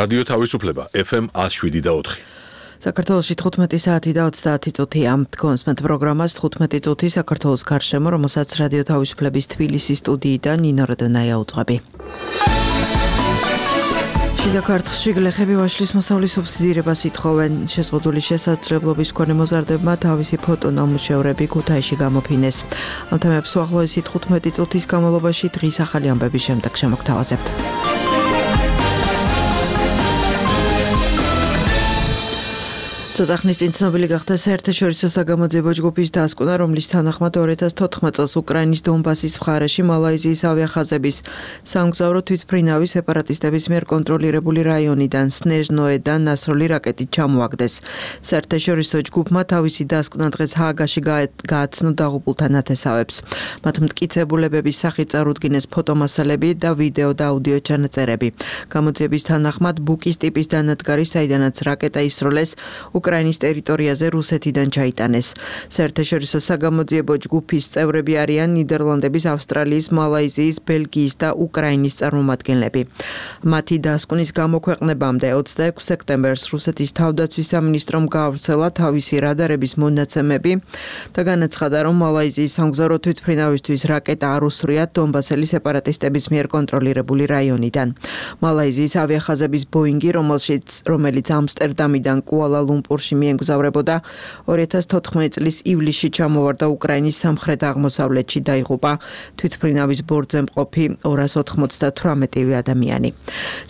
რადიო თავისუფლება FM 107.4. საქართველოში 15 საათი და 30 წუთია. კონსმენტ პროგრამას 15 წუთი საქართველოს გარშემო, რომელსაც რადიო თავისუფლების თბილისის სტუდიიდან ნინო როდონაია უძღვები. შიდა ქართლში გლეხები ვაშლის მოსავლის სუბსიდირებას ითხოვენ. შეზღუდული შესაძლებლობის მქონე მოზარდებმა თავისი ფოტონამუშევრები ქუთაისში გამოფინეს. ამ თემებს უახლოესი 15 წუთის განმავლობაში დღის ახალი ამბების შემდეგ შემოგთავაზებთ. ცოტა ხნის წინ ცნობილი გახდა საერთაშორისო საგამოძიებო ჯგუფის დასკვნა, რომლის თანახმად 2014 წელს უკრაინის დონბასის მხარეში მალაიზიის ავიახაზების სამგზავრო თვითმფრინავი სეპარატისტების მიერ კონტროლირებული რაიონიდან სნეჟნოედან ნასროლი რაკეტით ჩამოაგდეს. საერთაშორისო ჯგუფმა თავისი დასკვნა დღეს ჰააგაში გააცნო დაღუპულთა ნათესავებს. მათ მტკიცებულებების სახით წარუდგინეს ფოტომასალები და ვიდეო და აუდიო ჩანაწერები. გამოძიების თანახმად ბუკის ტიპის დანადგარი, საიდანაც რაკეტა ისროლეს, უკრაინის ტერიტორიაზე რუსეთიდან ჩაიტანეს. საერთაშორისო საგამოძიებო ჯგუფის წევრები არიან ნიდერლანდების, ავსტრალიის, მალაიზიის, ბელგიის და უკრაინის წარმომადგენლები. მათი დასკვნის გამოქვეყნებამდე 26 სექტემბერს რუსეთის თავდაცვის სამინისტრომ გაავრცელა თავისი რადარების მონაცემები და განაცხადა, რომ მალაიზიის სამგზავრო თვითმფრინავისთვის რაკეტა არ უსვრიათ დონბასელი სეპარატისტების მიერ კონტროლირებული რაიონიდან. მალაიზიის ავიახაზების ბოინგი, რომელიც ამსტერდამიდან კუალა-ლუმპურში მიემგზავრებოდა, 2014 წლის ივლისში ჩამოვარდა უკრაინის სამხრეთ-აღმოსავლეთში, დაიღუპა თვითმფრინავის ბორტზე მყოფი 298 ადამიანი.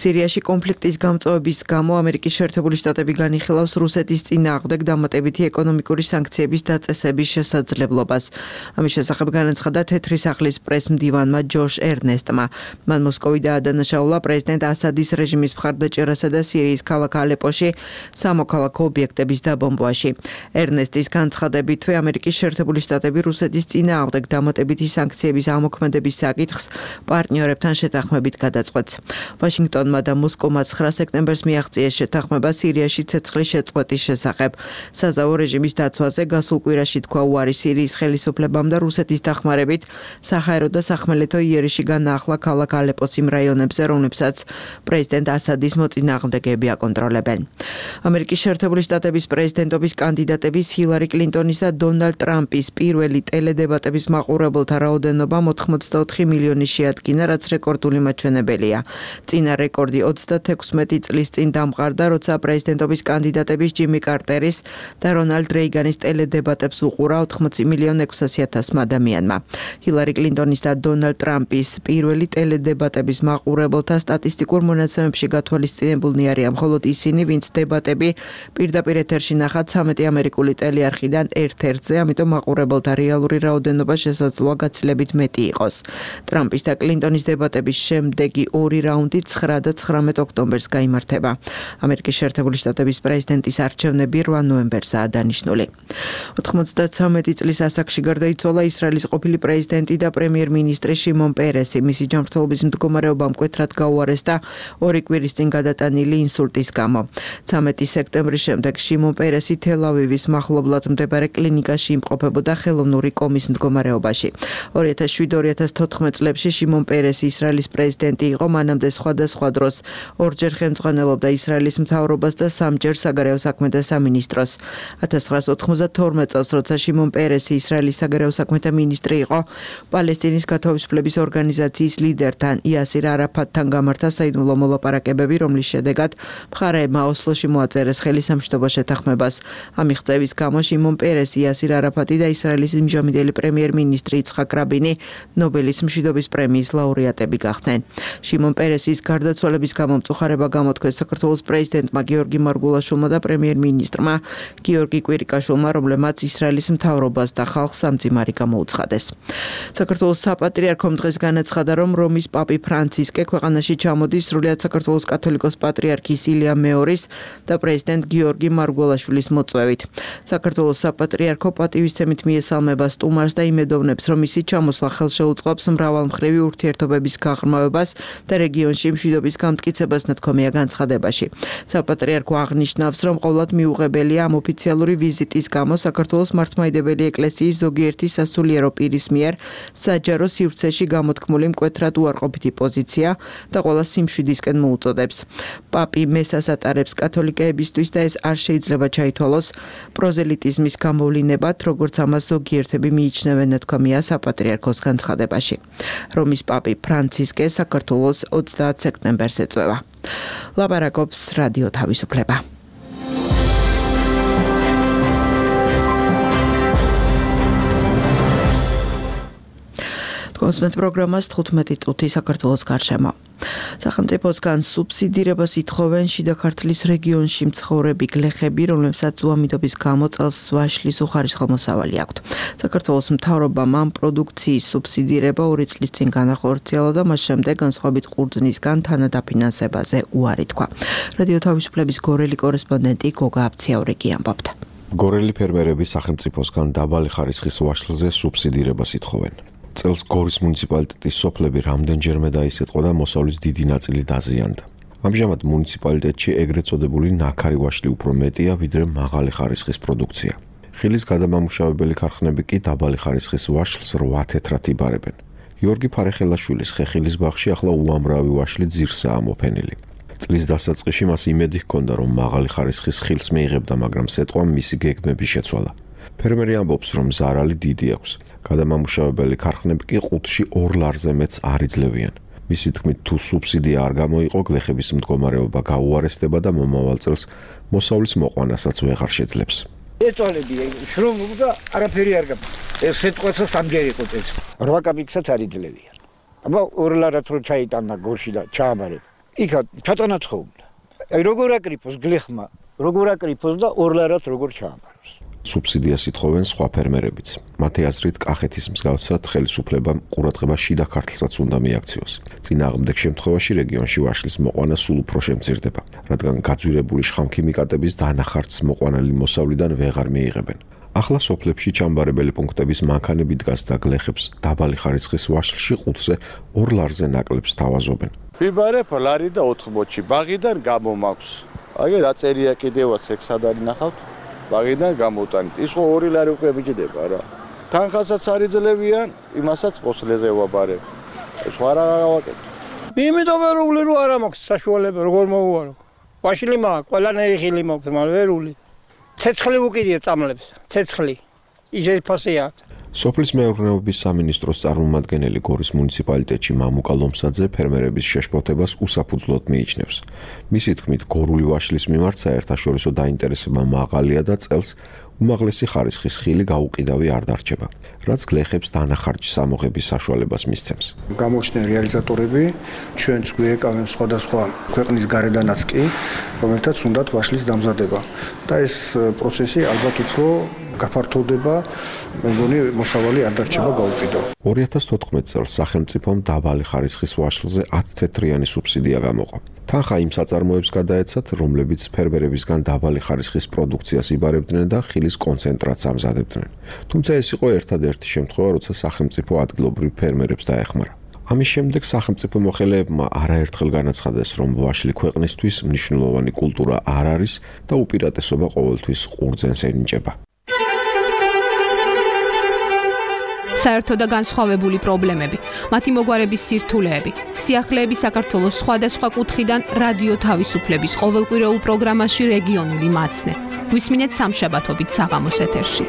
სირიაში კონფლიქტის გამწვავების გამო ამერიკის შეერთებული შტატები განიხილავს რუსეთის წინააღმდეგ დამატებითი ეკონომიკური სანქციების დაწესების შესაძლებლობას. ამის შესახებ განაცხადა თეთრი სახლის პრეს-მდივანმა ჯოშ ერნესტმა. მან მოსკოვი დაადანაშაულა პრეზიდენტ ასადის რეჟიმის მხარდაჭერასა და სირიის ქალაქ ალეპოში სამოქალაქო ობიექტების დაბომბვაში. ერნესტის განცხადებითვე ამერიკის შეერთებული შტატები რუსეთის წინააღმდეგ დამატებითი სანქციების ამოქმედების საკითხს პარტნიორებთან შეთანხმებით გადაწყვეტს. ვაშინგტონმა და მოსკოვმა 9 სექტემბერს მიაღწიეს შეთანხმება სირიაში ცეცხლის შეწყვეტის შესახებ. საზავო რეჟიმის დაცვაზე გასულ კვირაში თქვა უარი სირიის ხელისუფლებამ და რუსეთის დახმარებით საჰაერო და სახმელეთო იერიში განაახლა ქალაქ ალეპოს იმ რაიონებზე, რომლებსაც პრეზიდენტ ასადის მოწინააღმდეგეები აკონტროლებენ. ამერიკის შეერთებული შტატების პრეზიდენტობის კანდიდატების ჰილარი კლინტონის და დონალდ ტრამპის პირველი ტელედებატების მაყურებელთა რაოდენობა 84 მილიონი შეადგინა, რაც რეკორდული მაჩვენებელია. წინა რეკორდი 36 წლის წინ დამყარდა, როცა პრეზიდენტობის კანდიდატების ჯიმი კარტერის და რონალდ რეიგანის ტელედებატებს უყურა 80,600,000 ადამიანმა. ჰილარი კლინტონის და დონალდ ტრამპის პირველი ტელედებატების მაყურებელთა სტატისტიკურ მონაცემებში გათვალისწინებულნი არიან მხოლოდ ისინი, ვინც დებატები პირდაპირ ეთერში ნახат 13 ამერიკული ტელეარხიდან ერთ-ერთზე, ამიტომ მაყურებელთა რეალური რაოდენობა შესაძლოა გაცილებით მეტი იყოს. ტრამპის და კლინტონის დებატების შემდეგი ორი რაუნდი 9 და 19 ოქტომბერს გაიმართება. ამერიკის შეერთებული შტატების პრეზიდენტის არჩევნები 8 ნოემბერსაა დანიშნული. 93 წლის ასაკში გარდაიცვალა ისრაელის ყოფილი პრეზიდენტი და პრემიერ-მინისტრი შიმონ პერესი. მისი ჯანმრთელობის მდგომარეობა მკვეთრად გაუარეს და 2 კვირის წინ გადატანილი ინსულტის გამო. 13 სექტემბრის შემდეგ შიმონ პერესი თელ-ავივის მახლობლად მდებარე კლინიკაში იმყოფებოდა ხელოვნური კომის მდგომარეობაში. 2007-2014 წლებში შიმონ პერესი ისრაელის პრეზიდენტი იყო, მანამდე სხვადასხვა დროს ორჯერ ხელმძღვანელობდა ისრაელის მთავრობას და 3-ჯერ საგარეო საქმეთა სამინისტროს. 1992 წელს, როცა შიმონ პერესი ისრაელის საგარეო საქმეთა მინისტრი იყო, პალესტინის გათავისუფლების ორგანიზაციის ლიდერთან იასირ არაფატთან გამართა საიდუმლო მოლაპარაკებები, რომლის შედეგად მხარეებმა ოსლოში მოაწერეს ხელი სამშვიდობო შეთანხმებას. ამ მიღწევის გამო შიმონ პერესი, იასირ არაფატი და ისრაელის იმჟამინდელი პრემიერ-მინისტრი იცხაკ რაბინი ნობელის მშვიდობის პრემიის ლაურეატები გახდნენ. შიმონ პერესის გარდაცვალების გამო მწუხარება გამოთქვეს საქართველოს პრეზიდენტმა გიორგი მარგულაშვილმა და პრემიერ-მინისტრმა გიორგი კვირიკაშვილმა, რომლებმაც ისრაელის მთავრობას და ხალხს ამძიმარი გამოუცხადეს. საქართველოს საპატრიარქომ დღეს განაცხადა, რომ რომის პაპი ფრანცისკე ქვეყანაში ჩამოდის სრულიად საქართველოს კათოლიკოს პატრიარქის ილია მეორის და პრეზიდენტ გიორგი მარგველაშვილის მოწვევით. საქართველოს საპატრიარქო პატივისცემით მიესალმება სტუმარს და იმედოვნებს, რომ მისი ჩამოსვლა ხელშეუწყობს მრავალმხრივი ურთიერთობების გაღრმავებას და რეგიონში მშვიდობის გამტკიცებას ნათქვამია განცხადებაში. საპატრიარქო აღნიშნავს, რომ ყოვლად მიუღებელია ამ ოფიციალური ვიზიტის გამო საქართველოს მართლმადიდებელი ეკლესიის ზოგიერთი სასულიერო პირის მიერ საჯარო სივრცეში გამოთქმული მკვეთრად უარყოფითი პოზიცია და ყველა სიმშვიდისკენ მოუწოდებს. პაპი მესას ატარებს კათოლიკეებისთვის და ეს არ შეიძლება ჩაითვალოს პროზელიტიზმის გამოვლინებად, როგორც ამას ზოგიერთები მიიჩნევენ, ნათქვამია საპატრიარქოს განცხადებაში. რომის პაპი ფრანცისკე საქართველოს 30 სექტემბერს ეწვევა. ლაპარაკობს რადიო თავისუფლება. კონსმეთ პროგრამას 15 წუთი საქართველოს გარშემო. სახელმწიფოსგან სუბსიდირებას ითხოვენ შიდა ქართლის რეგიონში მცხოვრები გლეხები, რომლებსაც უამიდობის გამო წელს ვაშლის უხარისხო მოსავალი აქვთ. საქართველოს მთავრობამ ამ პროდუქციის სუბსიდირება 2 წლის წინ განახორციელა და მას შემდეგ განსხვავებით ყურძნისგან თანადაფინანსებაზე უარი თქვა. რადიო თავისუფლების გორელი კორესპონდენტი გოგა აბციაურიკი ამბობდა. გორელი ფერმერები სახელმწიფოსგან დაბალი ხარისხის ვაშლზე სუბსიდირებას ითხოვენ. წელს გორის მუნიციპალიტეტის სოფლები რამდენჯერმე დაისეთყო და მოსავლის დიდი ნაწილი დაზიანდა. ამჟამად მუნიციპალიტეტში ეგრეთ წოდებული ნაქარი ვაშლი უფრო მეტია, ვიდრე მაღალი ხარისხის პროდუქცია. ხილის გადამამუშავებელი ქარხნები კი დაბალი ხარისხის ვაშლს 8 თეთრად იბარებენ. გიორგი ფარეხელაშვილის ხეხილის ბაღში ახლა უამრავი ვაშლი ძირსაა მოფენილი. წლის დასაწყისში მას იმედი ჰქონდა, რომ მაღალი ხარისხის ხილს მიიღებდა, მაგრამ სეტყვამ მისი გეგმები შეცვალა. ფერმერი ამბობს, რომ ზარალი დიდი აქვს. გადამამუშავებელი ქარხნები კი ყუთში 2 ლარზე მეტს არ იძლევიან. მისი თქმით, თუ სუბსიდია არ გამოიყო, გლეხების მდგომარეობა გაუარესდება და მომავალ წელს მოსავლის მოყვანასაც ვეღარ შეძლებს. ეწოლებია, შრომ და არაფერი არ გაქვს. ეს სიტყვაცა სამჯერ იყო წელს. 8 კაპიკსაც არ იძლევიან. აბა 2 ლარად რო ჩაიტანა გორში და ჩააბარებ. იქა ჩატანაცხობდა. აი როგორ აკრიფოს გლეხმა, როგორ აკრიფოს და 2 ლარად როგორ ჩააბაროს. სუბსიდიას ითხოვენ სხვა ფერმერებიც. მათი აზრით, კახეთის მსგავსად ხელისუფლებამ ყურადღება შიდა ქართლსაც უნდა მიაქციოს. წინააღმდეგ შემთხვევაში რეგიონში ვაშლის მოყვანა სულ უფრო შემცირდება, რადგან გაძვირებული შხამქიმიკატების დანახარც მოყვანილი მოსავლიდან ვეღარ მიიღებენ. ახლა სოფლებში ჩამბარებელი პუნქტების მანქანები დგას და გლეხებს დაბალი ხარისხის ვაშლში ყუთზე 2 ლარზე ნაკლებს თავაზობენ. ვიბარებ ლარი და 4 ბოჩი. ბაღიდან გამომაქვს. აი რა წერია კიდევაც ეგ სად არის ნახავთ? ბაღიდან გამოტანით. ის ხო 2 ლარი უკვე მიჭდება რა. თანხასაც არ იძლევიან, იმასაც პოსლეზე ვაბარებ. ეს რა გავაკეთე. იმიტომ რომ არა მაქვს საშუალება, როგორ მოვუარო. ვაშლი მაქვს, ყველანაირი ხილი მაქვს, მაგრამ ვერული. ცეცხლი უკიდია წამლებს, ცეცხლი. ისე ფასია. სოფლის მეურნეობის სამინისტროს წარმომადგენელი გორის მუნიციპალიტეტში მამუკა ლომსაძე ფერმერების შეშფოთებას უსაფუძვლოდ მიიჩნევს. მისი თქმით, გორული ვაშლის მიმართ საერთაშორისო დაინტერესება მაღალია და წელს უმაღლესი ხარისხის ხილი გაუყიდავი არ დარჩება, რაც გლეხებს დანახარჯის ამოღების საშუალებას მისცემს. გამოჩნდნენ რეალიზატორები, ჩვენც გვიეკავენ სხვადასხვა ქვეყნის გარედანაც კი, რომელთაც უნდათ ვაშლის დამზადება და ეს პროცესი ალბათ უფრო გაფართოვდება, მეგონი მოსავალი არ დარჩება გაუყიდო. 2014 წელს სახელმწიფომ დაბალი ხარისხის ვაშლზე 10 თეთრიანი სუბსიდია გამოყო. თანხა იმ საწარმოებს გადაეცათ, რომლებიც ფერმერებისგან დაბალი ხარისხის პროდუქციას იბარებდნენ და ხილის კონცენტრატს ამზადებდნენ. თუმცა ეს იყო ერთადერთი შემთხვევა, როცა სახელმწიფო ადგილობრივ ფერმერებს დაეხმარა. ამის შემდეგ სახელმწიფო მოხელეებმა არაერთხელ განაცხადეს, რომ ვაშლი ქვეყნისთვის მნიშვნელოვანი კულტურა არ არის და უპირატესობა ყოველთვის ყურძენს ენიჭება. საერთო და განსხვავებული პრობლემები, მათი მოგვარების სირთულეები, სიახლეები საქართველოს სხვადასხვა კუთხიდან რადიო თავისუფლების ყოველკვირეულ პროგრამაში რეგიონული მაცნე. გვისმინეთ სამშაბათობით საღამოს ეთერში.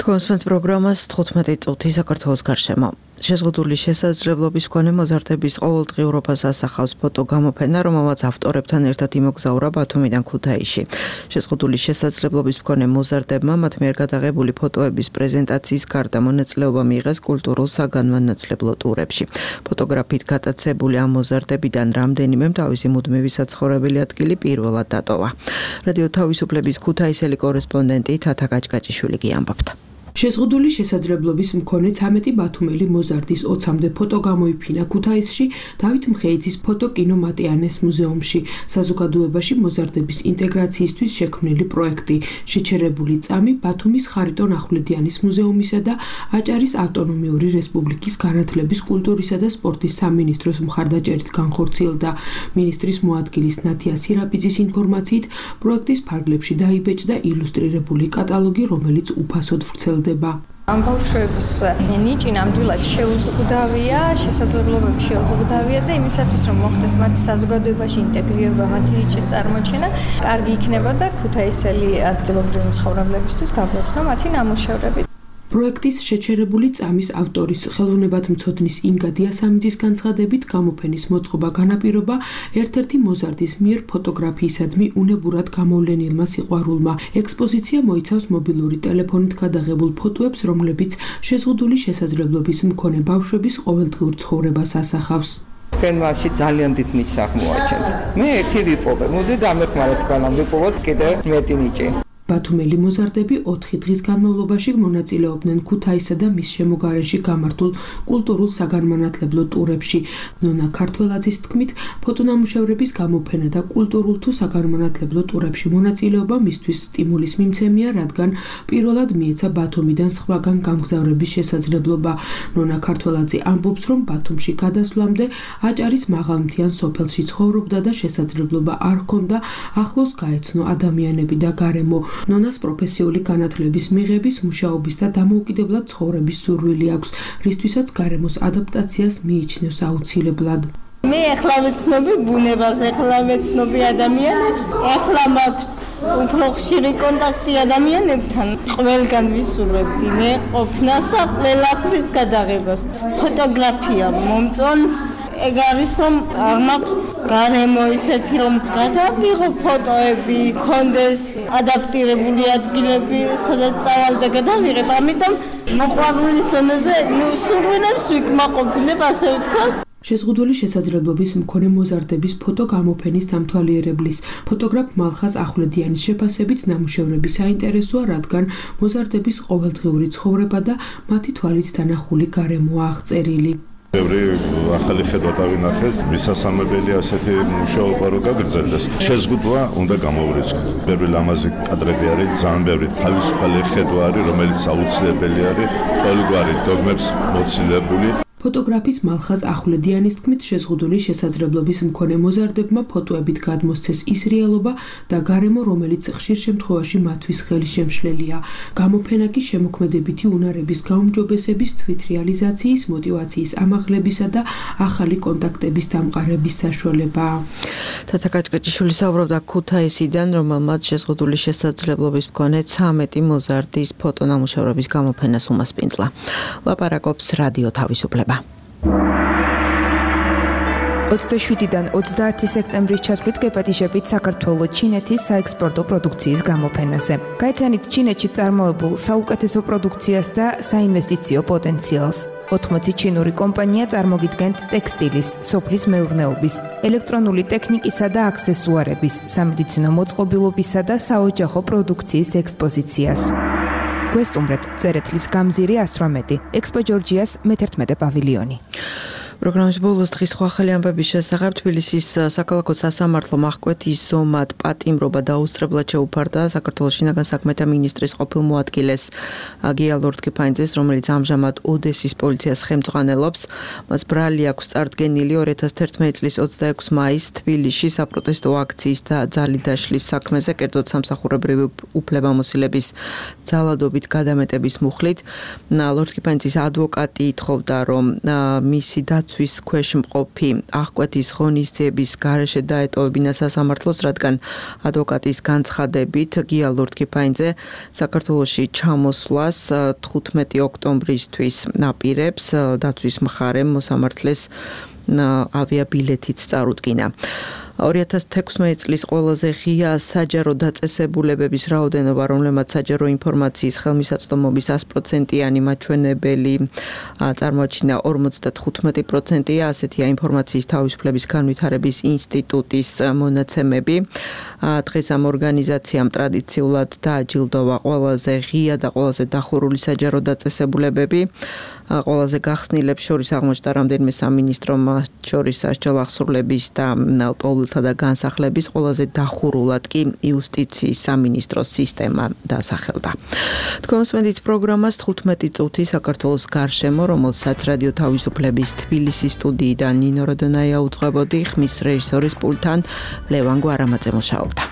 კონსმეთ პროგრამას 15 წუთი საქართველოს გარშემო. შეზღუდული შესაძლებლობის მქონე მოზარდების ყოველდღიურობას ასახავს ფოტოგამოფენა, რომელმაც ავტორებთან ერთად იმოგზაურა ბათუმიდან ქუთაისში. შეზღუდული შესაძლებლობის მქონე მოზარდებმა მათ მიერ გადაღებული ფოტოების პრეზენტაციის გარდა მონაწილეობა მიიღეს კულტურულ საგანმანათლებლო ტურებში. ფოტოგრაფით გატაცებული ამ მოზარდებიდან რამდენიმემ თავისი მუდმივი საცხოვრებელი ადგილი პირველად დატოვა. რადიო თავისუფლების ქუთაისელი კორესპონდენტი თათა გაჭგაჭიშვილი კი ამბობდა. შეზღუდული შესაძლებლობის მქონე 13 ბათუმელი მოზარდის 20-მდე ფოტო გამოიფინა ქუთაისში დავით მხეიძის ფოტოკინო მატიანეს მუზეუმში. საზოგადოებაში მოზარდების ინტეგრაციისთვის შექმნილი პროექტი შეჩერებული წამი ბათუმის ხარიტონ ახვლედიანის მუზეუმისა და აჭარის ავტონომიური რესპუბლიკის განათლების, კულტურისა და სპორტის სამინისტროს მხარდაჭერით განხორციელდა. მინისტრის მოადგილის ნათია სირაპიძის ინფორმაციით, პროექტის ფარგლებში დაიბეჭდა ილუსტრირებული კატალოგი, რომელიც უფასოდ ვრცელდება. ამ ბავშვების ნიჭი ნამდვილად შეუზღუდავია, შესაძლებლობები შეუზღუდავია და იმისათვის რომ მოხდეს მათი საზოგადოებაში ინტეგრირება, მათი ნიჭის წარმოჩენა, კარგი იქნებოდა ქუთაისელი ადგილობრივი მცხოვრებლებისთვის გაგვეცნო მათი ნამუშევრები. პროექტის შეჩერებული წამის ავტორის ხელოვნებათმცოდნის ინგა დიასამიძის განცხადებით გამოფენის მოწყობა განაპირობა ერთ-ერთი მოზარდის მიერ ფოტოგრაფიისადმი უნებურად გამოვლენილმა სიყვარულმა. ექსპოზიცია მოიცავს მობილური ტელეფონით გადაღებულ ფოტოებს, რომლებიც შეზღუდული შესაძლებლობის მქონე ბავშვების ყოველდღიურ ცხოვრებას ასახავს. თქვენ მასში ძალიან დიდ ნიჭს აღმოაჩენთ. მე ერთი ვიპოვე, მოდი დამეხმაროთ თქვენამ ვიპოვოთ კიდევ მეტი ნიჭი. ბათუმელი მოზარდები 4 დღის განმავლობაში მონაწილეობდნენ ქუთაისსა და მის შემოგარენში გამართულ კულტურულ საგანმანათლებლო ტურებში. ნონა ქართველაძის თქმით, ფოტონამუშევრების გამოფენა და კულტურულ თუ საგანმანათლებლო ტურებში მონაწილეობა მისთვის სტიმულის მიმცემია, რადგან პირველად მიეცა ბათუმიდან სხვაგან გამგზავრების შესაძლებლობა. ნონა ქართველაძე ამბობს, რომ ბათუმში გადასვლამდე აჭარის მაღალმთიან სოფელში ცხოვრობდა და შესაძლებლობა არ ჰქონდა ახლოს გაეცნო ადამიანები და გარემო. ნონას პროფესიული განათლების მიღების, მუშაობის და დამოუკიდებლად ცხოვრების სურვილი აქვს, რისთვისაც გარემოს ადაპტაციას მიიჩნევს აუცილებლად. მე ახლა ვეცნობი ბუნებას, ახლა ვეცნობი ადამიანებს, ახლა მაქვს უფრო ხშირი კონტაქტი ადამიანებთან. ყველგან ვისურვებდი მე ყოფნას და ყველაფრის გადაღებას. ფოტოგრაფია მომწონს. ეგ არის რომ მაქვს გარემო ისეთი რომ გადავიღო ფოტოები, კონდეს ადაპტირებული ადგილები, სადაც წავალ და გადავიღებ. ამიტომ მოყვარულის დონეზე სურვილებს ვიკმაყოფილებ, ასე ვთქვათ. შეზღუდული შესაძლებლობის მქონე მოზარდების ფოტო გამოფენის დამთვალიერებლის ფოტოგრაფ მალხაზ ახვლედიანის შეფასებით ნამუშევრები საინტერესოა, რადგან მოზარდების ყოველდღიური ცხოვრება და მათი თვალით დანახული გარემოა აღწერილი. ბევრი ახალი ხედვა დავინახეთ, მისასალმებელი ასეთი მუშაობა რო გაგრძელდეს. შეზღუდვა უნდა გამოვრიცხოთ. ბევრი ლამაზი კადრები არის, ძალიან ბევრი თავისუფალი ხედვა არის, რომელიც აუცილებელი არის ყოველგვარი დოგმებს მოცილებული. ფოტოგრაფის მალხაზ ახვლედიანის თქმით, შეზღუდული შესაძლებლობის მქონე მოზარდებმა ფოტოებით გადმოსცეს ის რეალობა და გარემო, რომელიც ხშირ შემთხვევაში მათთვის ხელშემშლელია. გამოფენა კი შემოქმედებითი უნარების გაუმჯობესების, თვითრეალიზაციის, მოტივაციის ამაღლებისა და ახალი კონტაქტების დამყარების საშუალებაა. თათა კაჭკაჭიშვილი საუბრობდა ქუთაისიდან, რომელმაც შეზღუდული შესაძლებლობის მქონე 13 მოზარდის ფოტონამუშევრების გამოფენას უმასპინძლა. ლაპარაკობს რადიო თავისუფლება. 27-დან 30 სექტემბრის ჩათვლით გეპატიჟებით საქართველოს ჩინეთის საექსპორტო პროდუქციის გამოფენაზე. გაიცანით ჩინეთში წარმოებულ საუკეთესო პროდუქციას და საინვესტიციო პოტენციალს. 80 ჩინური კომპანია წარმოგიდგენთ ტექსტილის, სოფლის მეურნეობის, ელექტრონული ტექნიკისა და აქსესუარების, სამედიცინო მოწყობილობისა და საოჯახო პროდუქციის ექსპოზიციას. გვესტუმრეთ წერეთლის გამზირი 118, ექსპო ჯორჯიას მე-11 პავილიონი. პროგრამის ბოლოს დღის სხვა ახალი ამბების შესახებ თბილისის საქალაქო სასამართლო აღკვეთის ზომად პატიმრობა დაუსწრებლად შეუფარდა საქართველოს შინაგან საქმეთა მინისტრის ყოფილ მოადგილეს გია ლორდ-კიფაინძეს, რომელიც ამჟამად ოდესის პოლიციას ხელმძღვანელობს. მას ბრალი აქვს წარდგენილი 2011 წლის 26 მაისს თბილისში საპროტესტო აქციის და ძალიდაშლის საქმეზე, კერძოდ სამსახურებრივი უფლებამოსილების ძალადობით გადამეტების მუხლით. ლორდ-კიფაინძის ადვოკატი ითხოვდა, რომ მისი ვის ქვეშ მყოფი აღკვეთის ღონისძიების გარეშე დაეტოვებინა სასამართლოს, რადგან ადვოკატის განცხადებით გია ლორდ-კიფაინძე საქართველოში ჩამოსვლას 15 ოქტომბრისთვის აპირებს. დაცვის მხარემ მოსამართლეს ავიაბილეთიც წარუდგინა. 2016 წლის ყველაზე ღია საჯარო დაწესებულებების რაოდენობა, რომლებმაც საჯარო ინფორმაციის ხელმისაწვდომობის 100%-იანი მაჩვენებელი წარმოაჩინა 55%-ია, ასეთია ინფორმაციის თავისუფლების განვითარების ინსტიტუტის მონაცემები. დღეს ამ ორგანიზაციამ ტრადიციულად დააჯილდოვა ყველაზე ღია და ყველაზე დახურული საჯარო დაწესებულებები. ყველაზე გახსნილებს შორის აღმოჩნდა რამდენიმე სამინისტრო, მათ შორის სასჯელ აღსრულების და პოლითა და განსახლების, ყველაზე დახურულად კი იუსტიციის სამინისტროს სისტემა დასახელდა. თქვენსმენდით პროგრამას 15 წუთი საქართველოს გარშემო, რომელსაც რადიო თავისუფლების თბილისის სტუდიიდან ნინო როდონაია უძღვებოდი, ხმის რეჟისორის პულტთან ლევან გვარამაძე მუშაობდა.